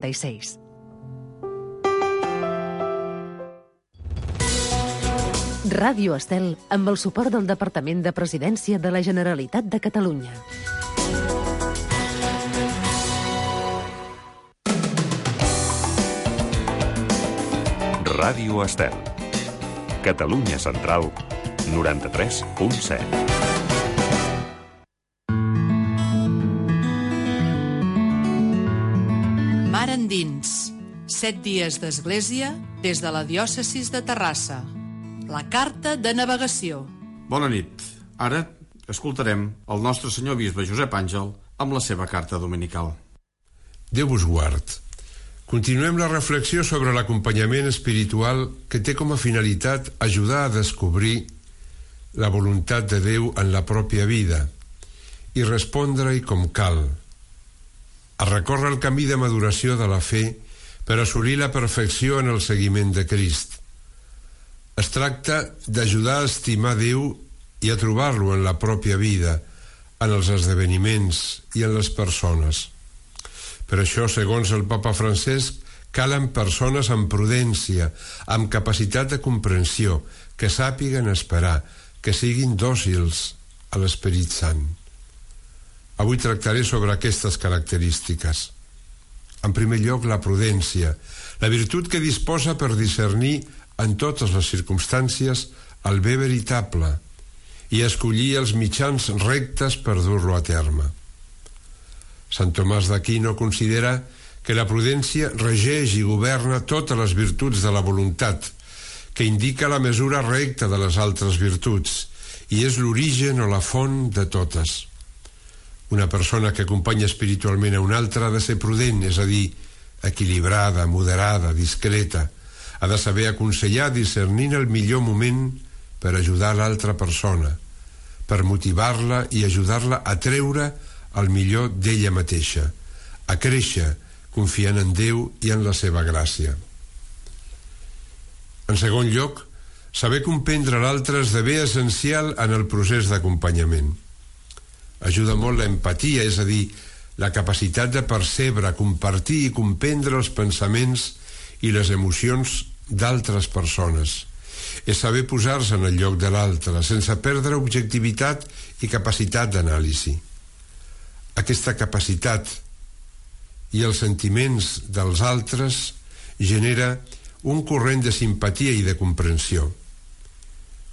36. Ràdio Estel, amb el suport del Departament de Presidència de la Generalitat de Catalunya. Ràdio Estel. Catalunya Central, 93.7. Mar endins. 7 dies d'església des de la diòcesis de Terrassa. La carta de navegació. Bona nit. Ara escoltarem el nostre senyor bisbe Josep Àngel amb la seva carta dominical. Déu vos guard. Continuem la reflexió sobre l'acompanyament espiritual que té com a finalitat ajudar a descobrir la voluntat de Déu en la pròpia vida i respondre-hi com cal, a recórrer el camí de maduració de la fe per assolir la perfecció en el seguiment de Crist. Es tracta d'ajudar a estimar Déu i a trobar-lo en la pròpia vida, en els esdeveniments i en les persones. Per això, segons el papa Francesc, calen persones amb prudència, amb capacitat de comprensió, que sàpiguen esperar, que siguin dòcils a l'Esperit Sant. Avui tractaré sobre aquestes característiques. En primer lloc, la prudència, la virtut que disposa per discernir en totes les circumstàncies el bé veritable i escollir els mitjans rectes per dur-lo a terme. Sant Tomàs d'Aquino considera que la prudència regeix i governa totes les virtuts de la voluntat, que indica la mesura recta de les altres virtuts i és l'origen o la font de totes. Una persona que acompanya espiritualment a una altra ha de ser prudent, és a dir, equilibrada, moderada, discreta. Ha de saber aconsellar discernint el millor moment per ajudar l'altra persona, per motivar-la i ajudar-la a treure el millor d'ella mateixa, a créixer confiant en Déu i en la seva gràcia. En segon lloc, saber comprendre l'altre esdevé essencial en el procés d'acompanyament. Ajuda molt l'empatia, és a dir, la capacitat de percebre, compartir i comprendre els pensaments i les emocions d'altres persones. És saber posar-se en el lloc de l'altre, sense perdre objectivitat i capacitat d'anàlisi. Aquesta capacitat i els sentiments dels altres genera un corrent de simpatia i de comprensió.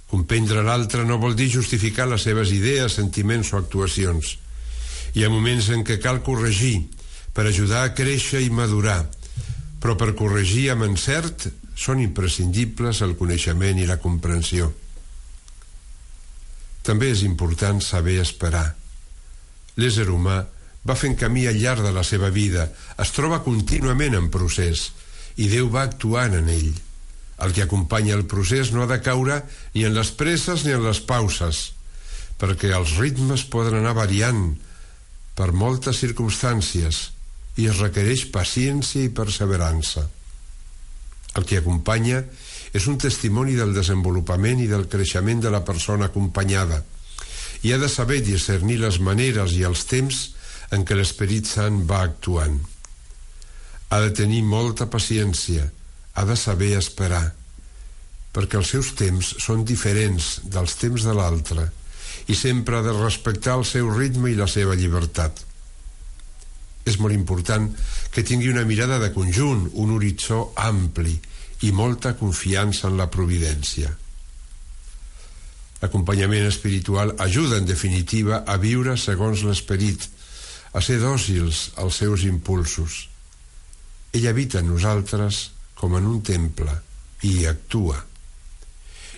Comprendre l'altre no vol dir justificar les seves idees, sentiments o actuacions. Hi ha moments en què cal corregir per ajudar a créixer i madurar, però per corregir amb encert són imprescindibles el coneixement i la comprensió. També és important saber esperar. L'ésser humà va fent camí al llarg de la seva vida, es troba contínuament en procés, i Déu va actuant en ell. El que acompanya el procés no ha de caure ni en les presses ni en les pauses, perquè els ritmes poden anar variant per moltes circumstàncies i es requereix paciència i perseverança. El que acompanya és un testimoni del desenvolupament i del creixement de la persona acompanyada, i ha de saber discernir les maneres i els temps en què l'Esperit Sant va actuant. Ha de tenir molta paciència, ha de saber esperar, perquè els seus temps són diferents dels temps de l'altre i sempre ha de respectar el seu ritme i la seva llibertat. És molt important que tingui una mirada de conjunt, un horitzó ampli i molta confiança en la providència. L'acompanyament espiritual ajuda, en definitiva, a viure segons l'Esperit, a ser dòcils als seus impulsos. Ell habita en nosaltres com en un temple i hi actua.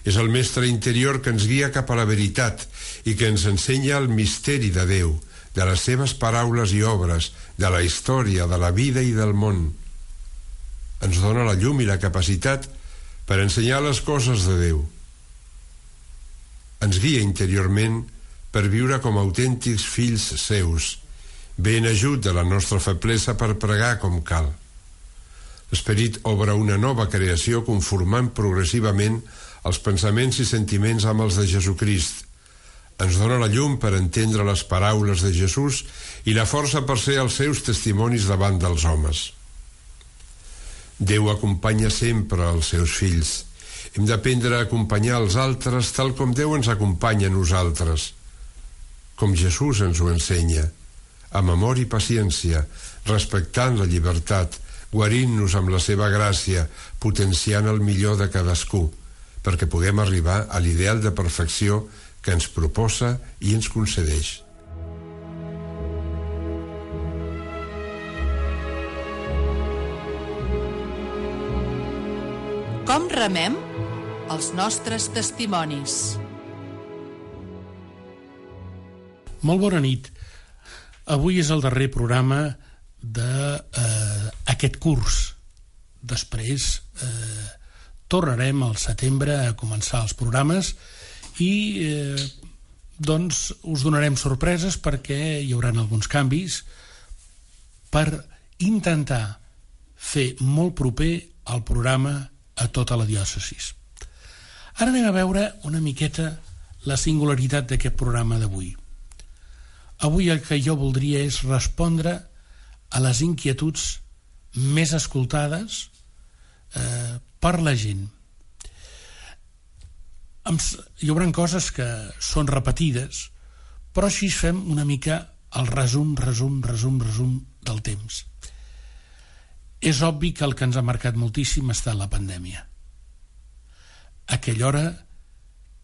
És el mestre interior que ens guia cap a la veritat i que ens ensenya el misteri de Déu, de les seves paraules i obres, de la història, de la vida i del món. Ens dona la llum i la capacitat per ensenyar les coses de Déu. Ens guia interiorment per viure com autèntics fills seus, ben ajut de la nostra feblesa per pregar com cal. L'Esperit obre una nova creació conformant progressivament els pensaments i sentiments amb els de Jesucrist. Ens dona la llum per entendre les paraules de Jesús i la força per ser els seus testimonis davant dels homes. Déu acompanya sempre els seus fills. Hem d'aprendre a acompanyar els altres tal com Déu ens acompanya a nosaltres, com Jesús ens ho ensenya, amb amor i paciència, respectant la llibertat, guarint-nos amb la seva gràcia, potenciant el millor de cadascú, perquè puguem arribar a l'ideal de perfecció que ens proposa i ens concedeix. Com remem? Els nostres testimonis. Molt bona nit. Avui és el darrer programa d'aquest curs. Després tornarem al setembre a començar els programes i doncs us donarem sorpreses perquè hi haurà alguns canvis per intentar fer molt proper el programa a tota la diòcesis. Ara anem a veure una miqueta la singularitat d'aquest programa d'avui. Avui el que jo voldria és respondre a les inquietuds més escoltades per la gent. Hi haurà coses que són repetides, però així fem una mica el resum del temps. És obvi que el que ens ha marcat moltíssim ha estat la pandèmia. Aquella hora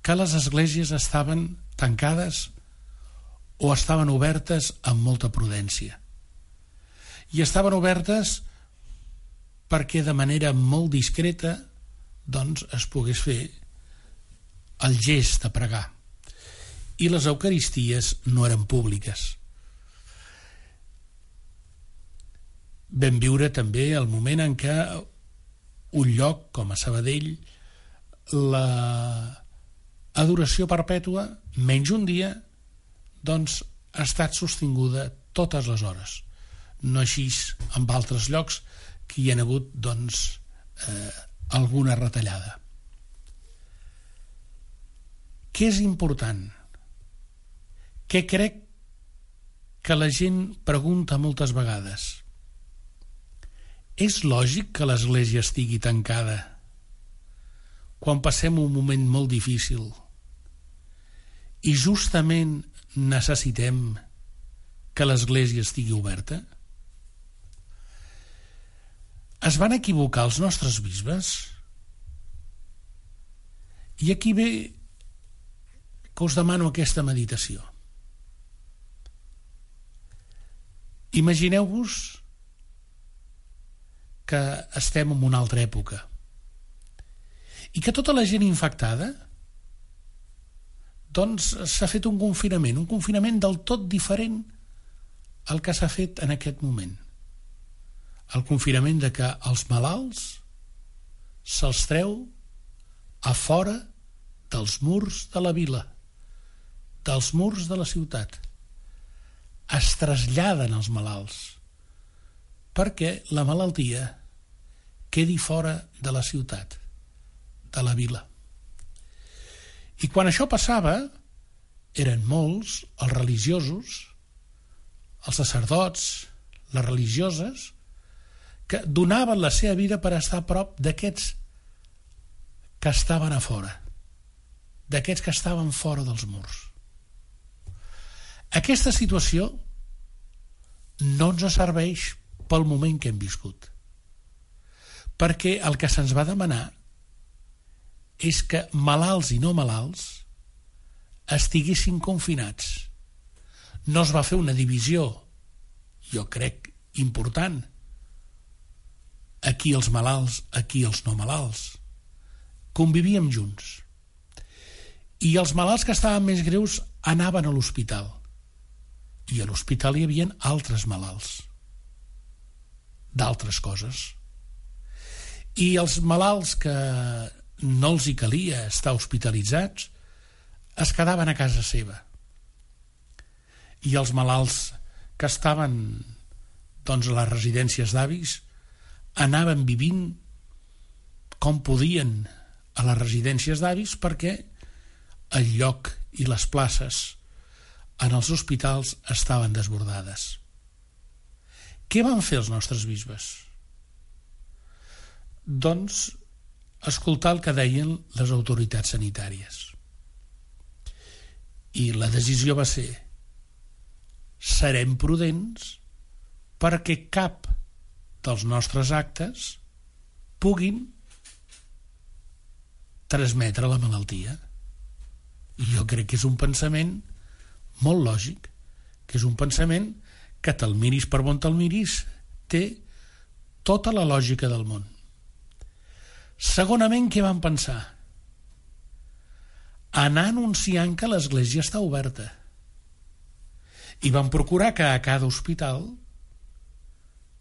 que les esglésies estaven tancades o estaven obertes amb molta prudència. I estaven obertes perquè de manera molt discreta doncs es pogués fer el gest de pregar. I les eucaristies no eren públiques. Vam viure també el moment en què un lloc com a Sabadell l'adoració perpètua, menys un dia, doncs ha estat sostinguda totes les hores. No així amb altres llocs que hi ha hagut doncs alguna retallada. Què és important? Què crec que la gent pregunta moltes vegades? És lògic que l'Església estigui tancada quan passem un moment molt difícil i justament necessitem que l'Església estigui oberta? Es van equivocar els nostres bisbes? I aquí ve que us demano aquesta meditació. Imagineu-vos que estem en una altra època i que tota la gent infectada doncs s'ha fet un confinament del tot diferent al que s'ha fet en aquest moment. El confinament de que els malalts se'ls treu a fora dels murs de la vila, dels murs de la ciutat. Es traslladen els malalts perquè la malaltia quedi fora de la ciutat, de la vila. I quan això passava, eren molts els religiosos, els sacerdots, les religioses, que donaven la seva vida per estar a prop d'aquests que estaven a fora, d'aquests que estaven fora dels murs. Aquesta situació no ens serveix pel moment que hem viscut, perquè el que se'ns va demanar és que malalts i no malalts estiguessin confinats. No es va fer una divisió, jo crec, important. Aquí els malalts, aquí els no malalts. Convivíem junts. I els malalts que estaven més greus anaven a l'hospital. I a l'hospital hi havia altres malalts d'altres coses. I els malalts que no els hi calia estar hospitalitzats es quedaven a casa seva. I els malalts que estaven doncs, a les residències d'avis anaven vivint com podien a les residències d'avis perquè el lloc i les places en els hospitals estaven desbordades. Què van fer els nostres bisbes? doncs, escoltar el que deien les autoritats sanitàries. I la decisió va ser: serem prudents perquè cap dels nostres actes puguin transmetre la malaltia. I jo crec que és un pensament molt lògic, que és un pensament que te'l miris per on te'l miris, té tota la lògica del món. Segonament, què van pensar? Anar anunciant que l'església està oberta. I van procurar que a cada hospital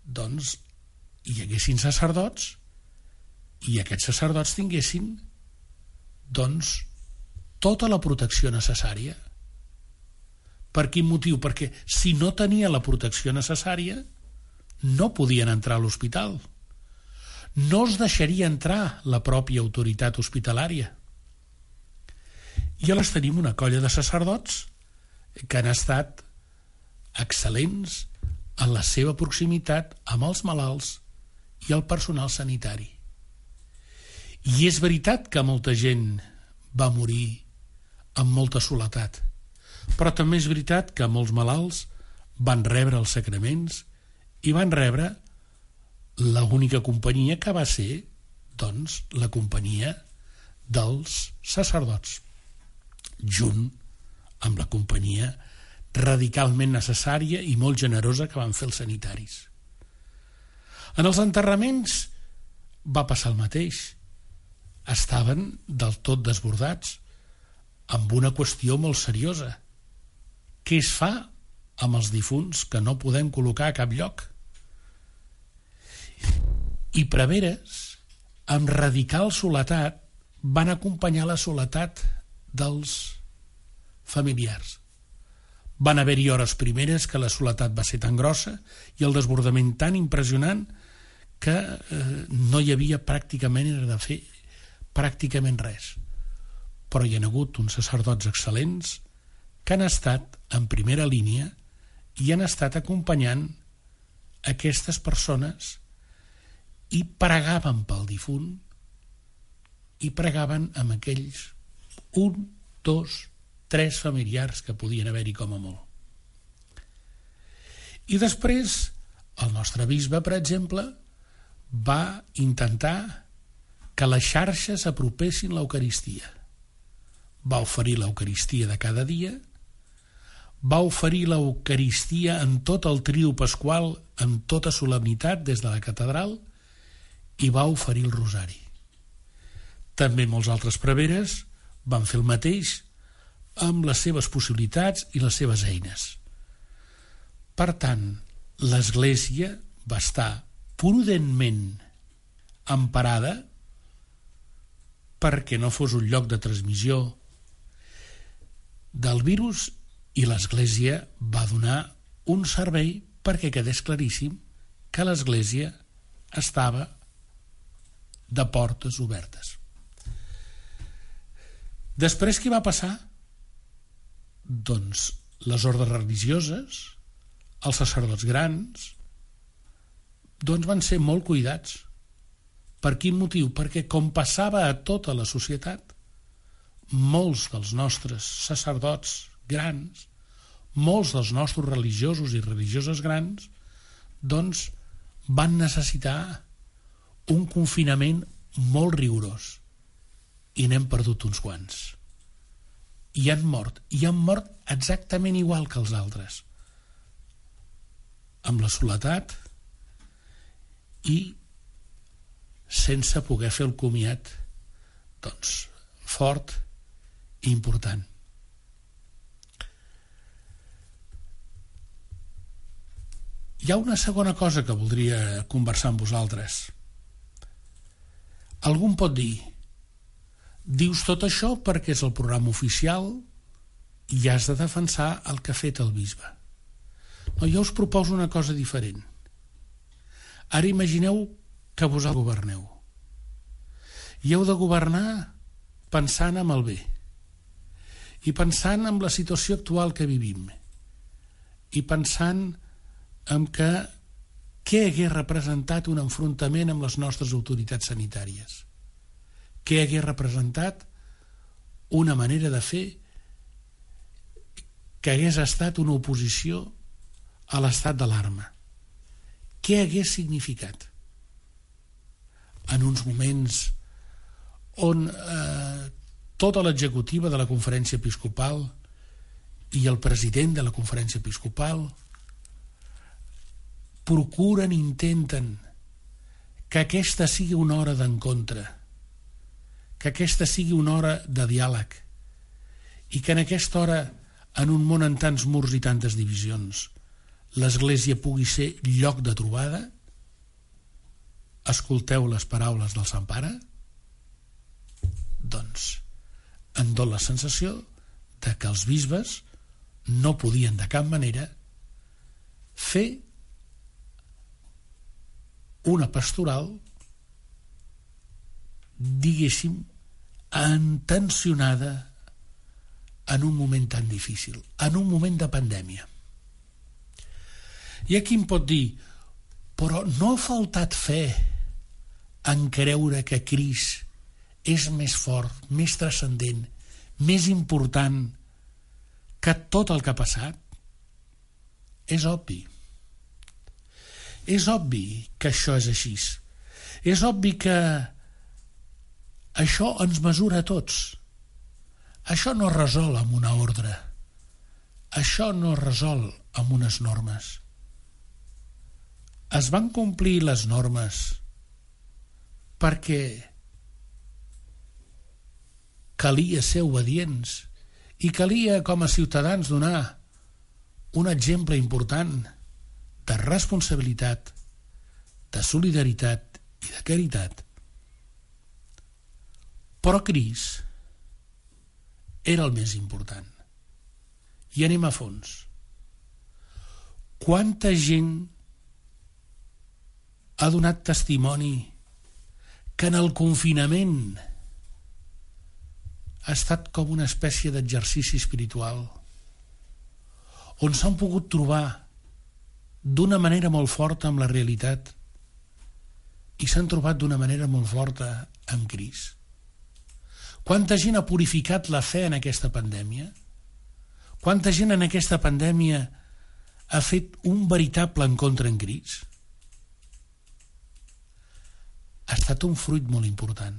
doncs hi haguessin sacerdots i aquests sacerdots tinguessin doncs tota la protecció necessària. Per quin motiu? Perquè si no tenia la protecció necessària no podien entrar a l'hospital. No els deixaria entrar la pròpia autoritat hospitalària. I llavors tenim una colla de sacerdots que han estat excel·lents en la seva proximitat amb els malalts i el personal sanitari. I és veritat que molta gent va morir amb molta soledat, però també és veritat que molts malalts van rebre els sacraments i van rebre l'única companyia que va ser, doncs, la companyia dels sacerdots, junt amb la companyia radicalment necessària i molt generosa que van fer els sanitaris. En els enterraments va passar el mateix. Estaven del tot desbordats amb una qüestió molt seriosa. Què es fa amb els difunts que no podem col·locar a cap lloc? I preveres, amb radical soledat, van acompanyar la soledat dels familiars. Van haver-hi hores primeres que la soledat va ser tan grossa i el desbordament tan impressionant que no hi havia pràcticament de fer pràcticament res. Però hi ha hagut uns sacerdots excel·lents que han estat en primera línia i han estat acompanyant aquestes persones i pregaven pel difunt i pregaven amb aquells 1, 2, 3 familiars que podien haver-hi com a molt. I després el nostre bisbe, per exemple, va intentar que les xarxes apropessin l'Eucaristia. Va oferir l'Eucaristia de cada dia, va oferir l'Eucaristia en tot el trio pasqual, en tota solemnitat des de la catedral, i va oferir el rosari. També molts altres preveres van fer el mateix amb les seves possibilitats i les seves eines. Per tant, l'Església va estar prudentment emparada perquè no fos un lloc de transmissió del virus, i l'Església va donar un servei perquè quedés claríssim que l'Església estava de portes obertes. Després què va passar? Doncs les ordes religioses, els sacerdots grans, doncs van ser molt cuidats. Per quin motiu? Perquè com passava a tota la societat, molts dels nostres sacerdots grans, molts dels nostres religiosos i religioses grans, doncs van necessitar un confinament molt rigorós i n'hem perdut uns quants. I han mort exactament igual que els altres, amb la soledat i sense poder fer el comiat doncs fort i important. Hi ha una segona cosa que voldria conversar amb vosaltres. Algú em pot dir: dius tot això perquè és el programa oficial i has de defensar el que ha fet el bisbe. No, jo us proposo una cosa diferent. Ara imagineu que vosaltres governeu. I heu de governar pensant en el bé i pensant en la situació actual que vivim i pensant en que què hagués representat un enfrontament amb les nostres autoritats sanitàries? Què hagués representat una manera de fer que hagués estat una oposició a l'estat d'alarma? Què hagués significat? En uns moments on tota l'executiva de la Conferència Episcopal i el president de la Conferència Episcopal procuren, intenten que aquesta sigui una hora d'encontre, que aquesta sigui una hora de diàleg, i que en aquesta hora, en un món amb tants murs i tantes divisions, l'Església pugui ser lloc de trobada. Escolteu les paraules del Sant Pare? Doncs em dóna la sensació de que els bisbes no podien de cap manera fer una pastoral, diguéssim, intencionada en un moment tan difícil, en un moment de pandèmia. Hi ha qui em pot dir, però no ha faltat fe en creure que Crist és més fort, més transcendent, més important que tot el que ha passat? És obvi. És obvi que això és així. És obvi que això ens mesura a tots. Això no es resol amb una ordre. Això no es resol amb unes normes. Es van complir les normes perquè calia ser obedients i calia, com a ciutadans, donar un exemple important de responsabilitat, de solidaritat i de caritat. Però Crist era el més important. I anem a fons. Quanta gent ha donat testimoni que en el confinament ha estat com una espècie d'exercici espiritual on s'han pogut trobar d'una manera molt forta amb la realitat i s'han trobat d'una manera molt forta amb Crist. Quanta gent ha purificat la fe en aquesta pandèmia? Quanta gent en aquesta pandèmia ha fet un veritable encontre en Crist? Ha estat un fruit molt important.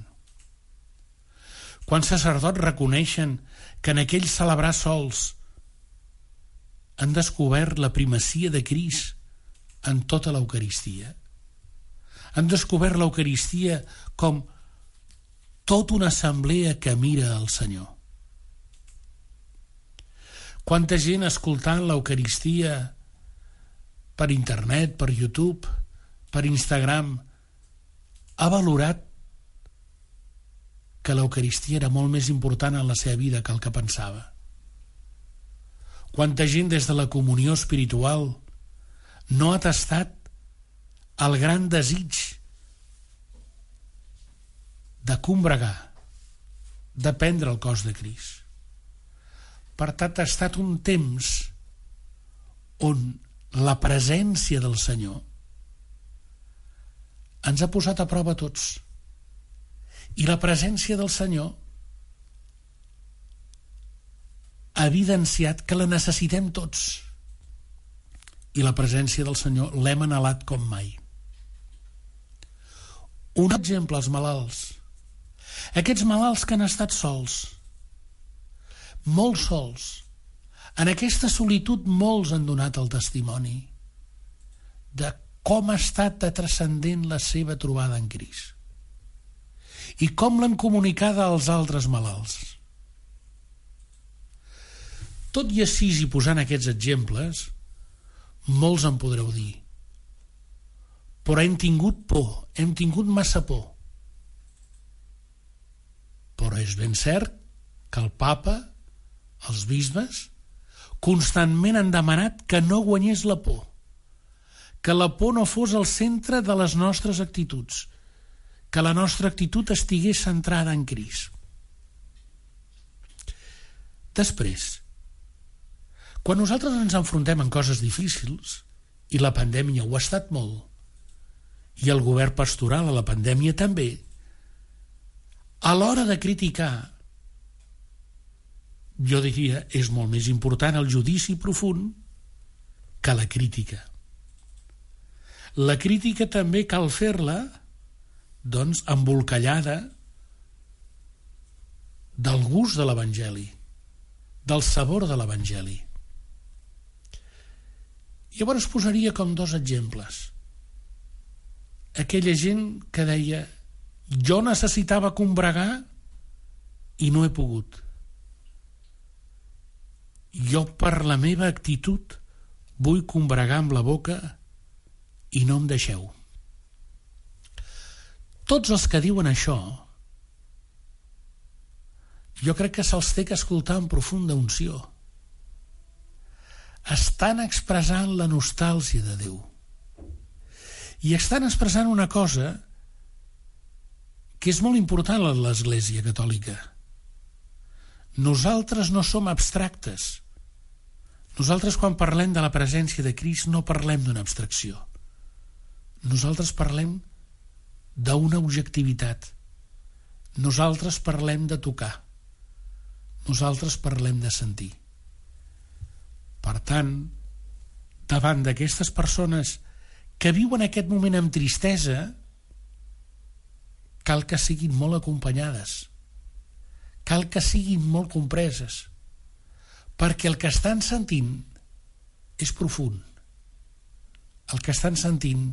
Quants sacerdots reconeixen que en aquell celebrar sols han descobert la primacia de Crist en tota l'Eucaristia? Han descobert l'Eucaristia com tota una assemblea que mira al Senyor. Quanta gent escoltant l'Eucaristia per internet, per YouTube, per Instagram, ha valorat que l'Eucaristia era molt més important en la seva vida que el que pensava. Quanta gent des de la comunió espiritual no ha tastat el gran desig de combregar, de prendre el cos de Crist. Per tant, ha estat un temps on la presència del Senyor ens ha posat a prova a tots. I la presència del Senyor ha evidenciat que la necessitem tots. I la presència del Senyor l'hem anhelat com mai. Un exemple, els malalts. Aquests malalts que han estat sols, molt sols. En aquesta solitud molts han donat el testimoni de com ha estat de transcendent la seva trobada en Crist i com l'han comunicada als altres malalts. Tot i així, i posant aquests exemples, molts en podreu dir, però hem tingut por, hem tingut massa por. Però és ben cert que el Papa, els bisbes, constantment han demanat que no guanyés la por, que la por no fos el centre de les nostres actituds, que la nostra actitud estigués centrada en Crist. Després, quan nosaltres ens enfrontem en coses difícils, i la pandèmia ho ha estat molt, i el govern pastoral a la pandèmia també, a l'hora de criticar, jo diria, és molt més important el judici profund que la crítica. La crítica també cal fer-la, doncs, embolcallada del gust de l'Evangeli, del sabor de l'Evangeli. Llavors posaria com 2 exemples. Aquella gent que deia: jo necessitava combregar i no he pogut. Jo per la meva actitud vull combregar amb la boca i no em deixeu. Tots els que diuen això, jo crec que se'ls té que escoltar amb profunda unció. Estan expressant la nostàlgia de Déu. I estan expressant una cosa que és molt important a l'Església Catòlica. Nosaltres no som abstractes. Nosaltres, quan parlem de la presència de Crist, no parlem d'una abstracció. Nosaltres parlem d'una objectivitat. Nosaltres parlem de tocar. Nosaltres parlem de sentir. Per tant, davant d'aquestes persones que viuen aquest moment amb tristesa, cal que siguin molt acompanyades, cal que siguin molt compreses, perquè el que estan sentint és profund. El que estan sentint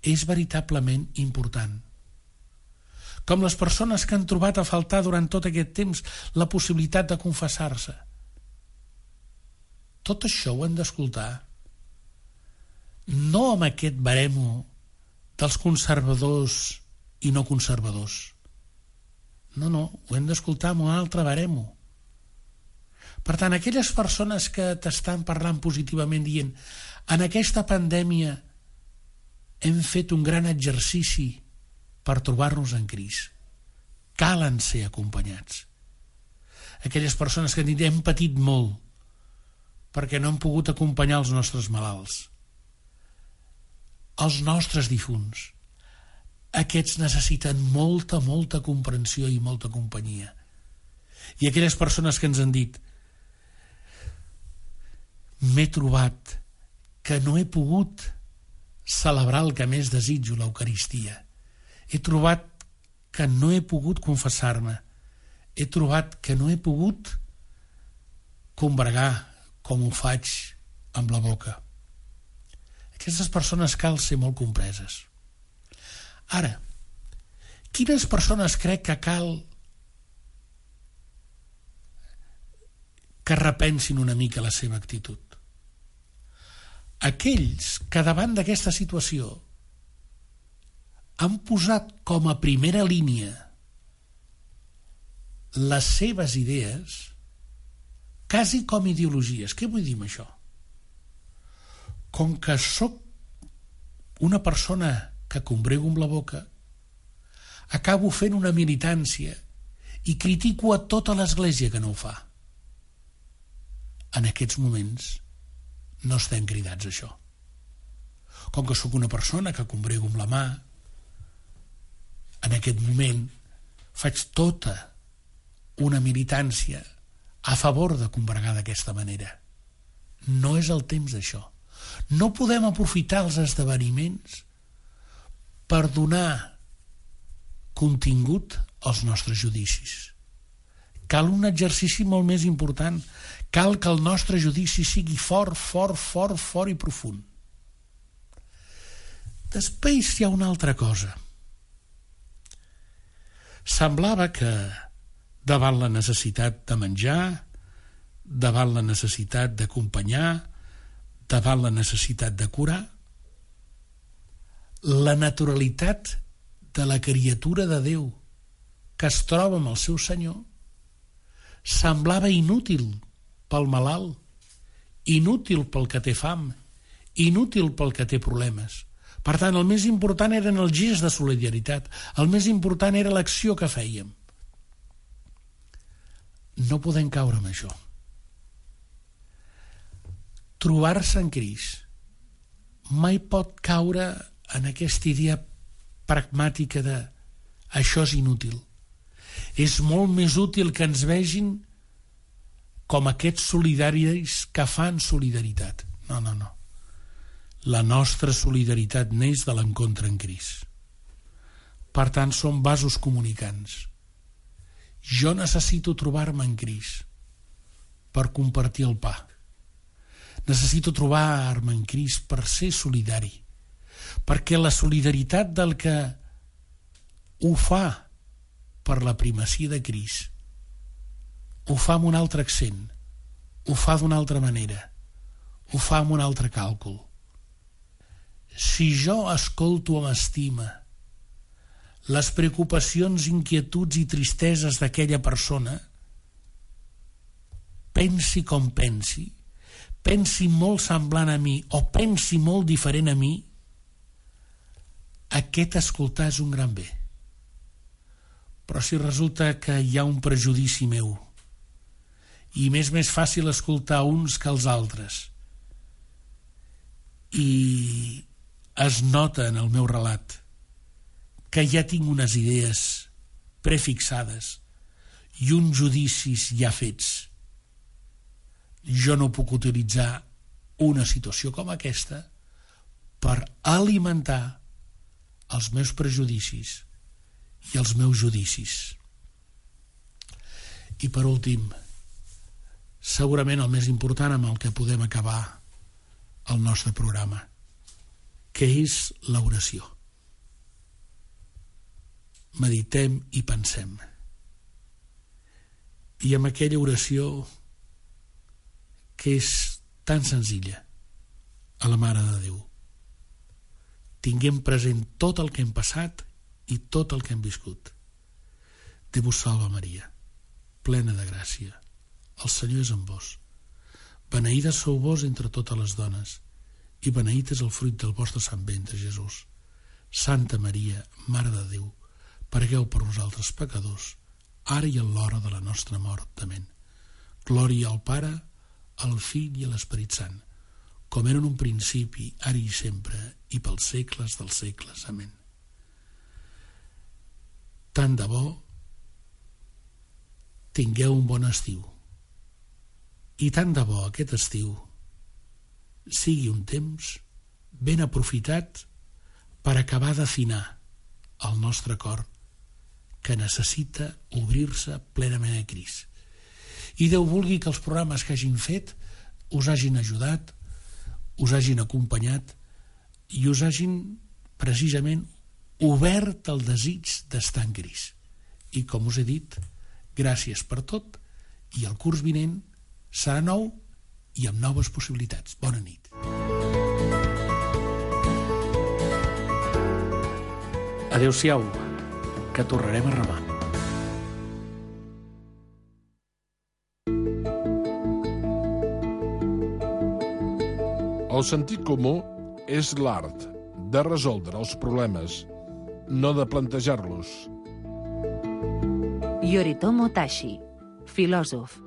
és veritablement important. Com les persones que han trobat a faltar durant tot aquest temps la possibilitat de confessar-se. Tot això ho hem d'escoltar, no amb aquest baremo dels conservadors i no conservadors. No, ho hem d'escoltar amb un altre baremo. Per tant, aquelles persones que t'estan parlant positivament dient: en aquesta pandèmia hem fet un gran exercici per trobar-nos en Crist. Calen ser acompanyats. Aquelles persones que han dit: hem patit molt perquè no hem pogut acompanyar els nostres malalts, els nostres difunts. Aquests necessiten molta comprensió i molta companyia. I aquelles persones que ens han dit: m'he trobat que no he pogut celebrar el que més desitjo, l'Eucaristia. He trobat que no he pogut confessar-me. He trobat que no he pogut combregar com ho faig amb la boca. Aquestes persones cal ser molt compreses. Ara, quines persones crec que cal que repensin una mica la seva actitud? Aquells que davant d'aquesta situació han posat com a primera línia les seves idees, quasi com ideologies. Què vull dir amb això? Com que sóc una persona que combrego amb la boca, acabo fent una militància i critico a tota l'Església que no ho fa. En aquests moments no estem cridats a això. Com que sóc una persona que combrego amb la mà, en aquest moment faig tota una militància a favor de combregar d'aquesta manera. No és el temps d'això. No podem aprofitar els esdeveniments per donar contingut als nostres judicis. Cal un exercici molt més important. Cal que el nostre judici sigui fort i profund. Després hi ha una altra cosa. Semblava que davant la necessitat de menjar, davant la necessitat d'acompanyar, davant la necessitat de curar, la naturalitat de la criatura de Déu que es troba amb el seu Senyor semblava inútil pel malalt, inútil pel que té fam, inútil pel que té problemes. Per tant, el més important eren els gests de solidaritat, el més important era l'acció que fèiem. No podem caure en això. Trobar-se en Crist mai pot caure en aquesta idea pragmàtica de això és inútil. És molt més útil que ens vegin com aquests solidaris que fan solidaritat. No. La nostra solidaritat neix de l'encontre en Crist. Per tant, som vasos comunicants. Jo necessito trobar-me en Crist per compartir el pa. Necessito trobar-me en Crist per ser solidari, perquè la solidaritat del que ho fa per la primacia de Crist ho fa amb un altre accent, ho fa d'una altra manera, ho fa amb un altre càlcul. Si jo escolto amb estima les preocupacions, inquietuds i tristeses d'aquella persona, pensi com pensi molt semblant a mi o pensi molt diferent a mi, aquest escoltar és un gran bé. Però si resulta que hi ha un prejudici meu i m'és més fàcil escoltar uns que els altres i es nota en el meu relat que ja tinc unes idees prefixades i uns judicis ja fets, jo no puc utilitzar una situació com aquesta per alimentar els meus prejudicis i els meus judicis. I per últim, segurament el més important amb el que podem acabar el nostre programa, que és l'oració. Meditem i pensem. I amb aquella oració que és tan senzilla, a la Mare de Déu. Tinguem present tot el que hem passat i tot el que hem viscut. Déu vos salve Maria, plena de gràcia. El Senyor és amb vos. Beneïda sou vos entre totes les dones, i beneït és el fruit del vostre sant ventre, Jesús. Santa Maria, Mare de Déu, pregueu per nosaltres pecadors, ara i en l'hora de la nostra mort. Amén. Glòria al Pare, al Fill i a l'Esperit Sant, com era en un principi, ara i sempre, i pels segles dels segles. Amén. Tant de bo tingueu un bon estiu, i tant de bo aquest estiu sigui un temps ben aprofitat per acabar d'afinar el nostre cor, que necessita obrir-se plenament a Crist. I Déu vulgui que els programes que hagin fet us hagin ajudat, us hagin acompanyat i us hagin precisament obert el desig d'estar en Crist. I com us he dit, gràcies per tot, i el curs vinent serà nou i amb noves possibilitats. Bona nit. Adéu-siau, que tornarem a remar. El sentit comú és l'art de resoldre els problemes, no de plantejar-los. Yoritomo Tashi, filòsof.